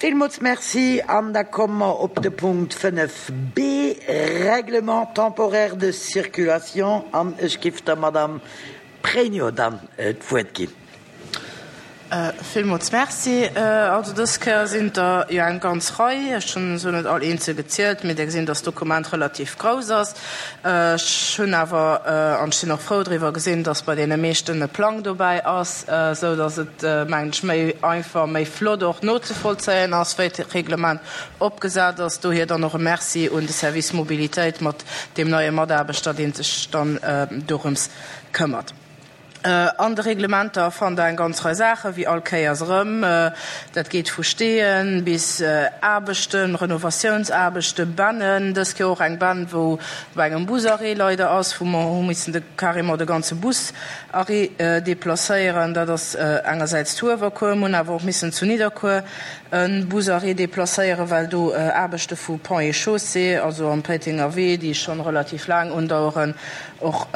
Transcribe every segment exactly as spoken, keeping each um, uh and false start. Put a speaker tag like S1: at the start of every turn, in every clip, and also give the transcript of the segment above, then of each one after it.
S1: Villmools Merci. An da komme mer op de Punkt fënnef B, Règlement temporaire de circulation. An ech giff der Madame Pregno dann d'Wuert ginn.
S2: Villmools Merci. Also dës Kéier sinn der jo eng ganz Rei. Ech hunn se net all eenzel gezielt, mee Der gesinn, dass d'Dokument relativ grouss ass. Ech hunn awer, an ech sinn och frou driwwer, gesinn, dass bei deene meeschten e Plang dobäi ass, esou dass et, mengen ech, méi einfach, méi flott och nozevollzéien ass, wéi d'Reglement opgesat ass. Dohier dann och e Merci un de Service Mobilitéit mat deem neie Mataarbechter, dee sech dann dorëms këmmert. An de Reglementer fannt Der eng ganz Rei Saachen, wéi all Kéiers erëm. Dat geet vu Steeën bis Aarbechten, Renovatiounsaarbechten, Bennen. Dës Kéier och eng Benn, wou bei engem Busarrêt leider ass, wou mer hu missen de carrément de ganze Busarrêt deplacéieren. Dat ass engersäits zu Uewerkuer. Mir hunn awer och missen zu Nidderkuer e Busarrêt deplacéieren, well do Aarbechte vu Ponts et Chaussées, also am Péitenger Wee, déi schonn relativ laang undaueren, och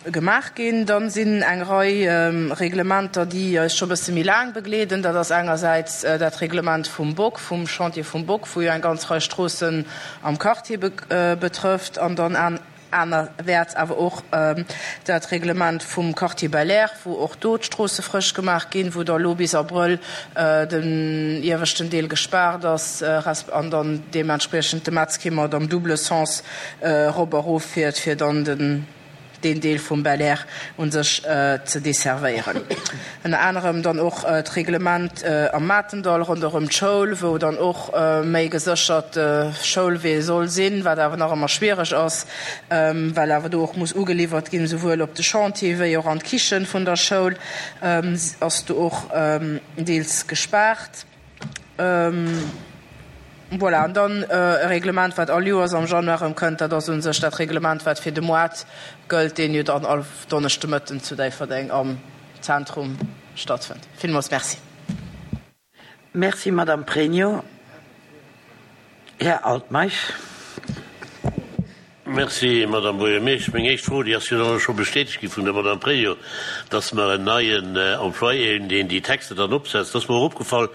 S2: gemaach ginn. Dann sinn eng Rei Reglementer, déi eis scho bësse méi laang begleeden. Dat ass engersäits dat Reglement vum Bock, vum Chantier vum Bock, wou jo eng ganz Rei Stroossen am Quartier betrëfft, an dann anerwäerts awer och dat Reglement vum Quartier Belair, wou och do d'Stroosse frësch gemaach ginn, wou da lo bis Abrëll den ieweschten Deel gespaart ass resp. An dann deementspriechend de Metzkimmert am double Sens erop a rof fiert, fir dann den deen Deel vum Belair u sech ze desservéieren. Ënner anerem dann och d'Reglement am Matendall ronderëm d'Schoul, wou dann och méi geséchert Schoulwee soll sinn, wat awer nach ëmmer schwiereg ass, well awer do och muss ugeliwwert ginn, souwuel op de Chantier wéi och an d'Kichen vun der Schoul ass do och deels gespaart. Voilà, an dann e Reglement, wat all Joers am Januar erëm kënnt, dat ass u sech dat Reglement, wat fir de Moart gëllt, deen jo dann all Donneschdemëtten zu Déifferdeng am Zentrum stattfënnt. Villmools Merci.
S1: Merci, Madame Pregno. Här Altmeisch.
S3: Merci, Madame Buergermeesch. Meng éischt Fro, déi ass jo dann och scho bestätegt gi vun der Madame Pregno, dass mer en neien Employé hunn, deen déi Texter dann opsetzt. Dat ass mer och opgefall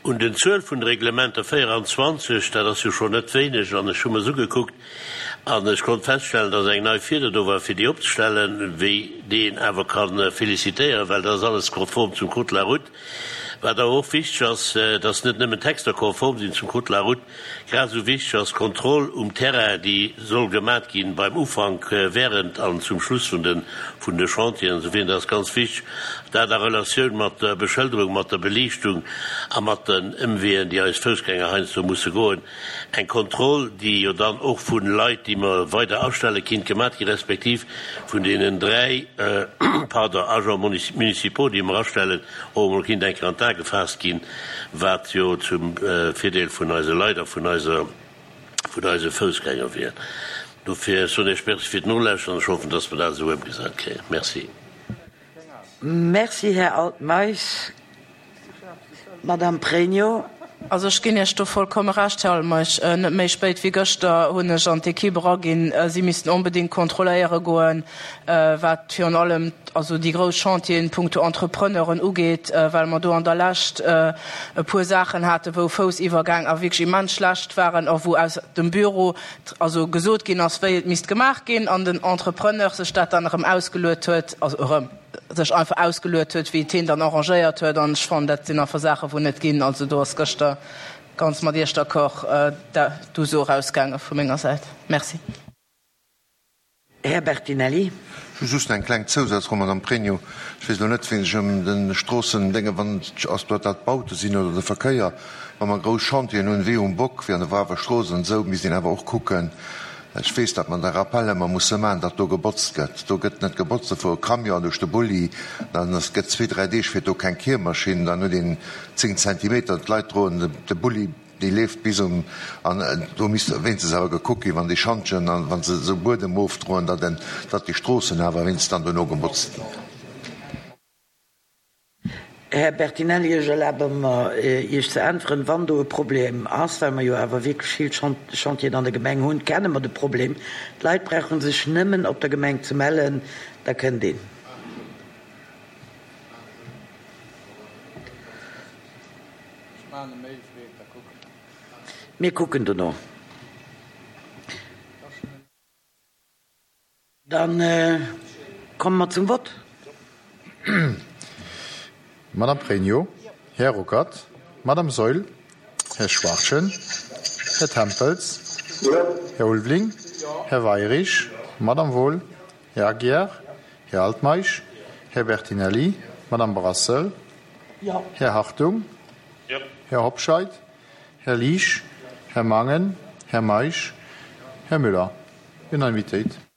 S3: un den Zuel vun de Reglementer, véieranzwanzeg, dat ass jo schonn net wéineg. An ech hu mer se ugekuckt an ech konnt feststellen, dass eng nei Fieder do war, fir déi opzestellen, wéi déi een awer ka félicitéieren, well dat ass alles konform zum Code de la route. Wat awer och wichteg ass, dass net nëmmen d'Texter konform sinn zum Code de la route, grad esou wichteg ass d'Kontroll um Terrain, déi soll gemat ginn beim Ufank, während an zum Schluss vun de vun de Chantieren. Esou dat ass ganz wichteg, dat a Relatioun mat der Beschëlderung, mat der Beliichtung a mat den Ëmweeën, déi eis Foussgänger heiansdo musse goen. Eng Kontroll, déi jo dann och vu Leit, déi mer weider astelle kinnt, gemat ginn, respektiv vun deenen dräi, pardon, Agents municipaux, déi mer astellen, och emol kinnt eng Kéier an d'A gefaasst ginn, wat jo zum Virdeel vun eise Leit a vun eiser, vun eise Foussgänger wier. Dofir soen ech Merci fir d'Nolauschteren an ech hoffen, dass mer dat esou ëmgesat kréien. Merci.
S1: Merci, Här Altmeisch. Madame Pregno.
S2: Also ech ginn Iech do vollkomme Recht, Här Altmeisch. Net méi spéit wéi gëschter hunn ech an d'Equipe eraginn, si missten onbedéngt kontrolléiere goen, wat virun allem also déi grouss Chantieren punkto Entrepreneuren ugeet, well mer do an der Lescht e puer Saachen haten, wou Foussiwwergäng a wierklech immens schlecht waren a wou aus dem Büro also gesot ginn ass, wéi et misst gemaach ginn, an den Entrepreneur sech dat dann erëm ausgeluet huet, also erëm sech einfach ausgeluet huet, wéi et hien dann arrangéiert huet. An ech fannen, dat sinn einfach Saachen, wou net ginn. Also do ass gëschter ganz mat Iech d'accord d'Uso erausgaange vu menger Säit. Merci.
S1: Här Bertinelli.
S4: Ech hu just eng kleng Zousazfro, Madame Pregno. Ech weess elo net, wéi sech ëm de Stroossendénge, wann ass dat dat d'Baute sinn oder de Verkéier, wa mer grouss Chantieren hunn, wéi um Bock, wéi an der Wawer Strooss an esou, misst een awer och kucken, ech weess, datt mer de Rappel ëmmer musse maachen, datt do gebotzt gëtt. Do gëtt net gebotzt, do fuere Camion duerch de Bulli, dann ass, gëtt zwee, dräi Deeg fiert do keng Kiermaschinn, dann huet een zéng Zentimeter, d'Leit droen de Bulli, déi leeft bis um, an do misst wéinstens awer gekuckt ginn, wann déi Schantjen an wa se esou Buedem ofdroen, datt en, datt déi Stroossen awer wéinstens dann dono gebotzt ginn.
S1: Här Bertinelli, ech erlabe mer, Iech ze äntweren. Wann do e Problem ass, well mer jo awer wierklech vill Chantieren an der Gemeng hunn, kenne mer de Problem. D'Leit brauche sech nëmmen op der Gemeng ze mellen, da kënnt een. Mir kucken dono. Dann komme mer zum Vott.
S5: Madame Pregno, Här Ruckert, Madame Saeul, Här Schwachtgen, Här Tempels, Här Ulveling, Här Weirich, Madame Wohl, Här Aguiar, Här Altmeisch, Här Bertinelli, Madame Brassel, Här Hartung, Här Hobscheit, Här Liesch, Här Mangen, Här Meisch, Här Müller. Unanimitéit.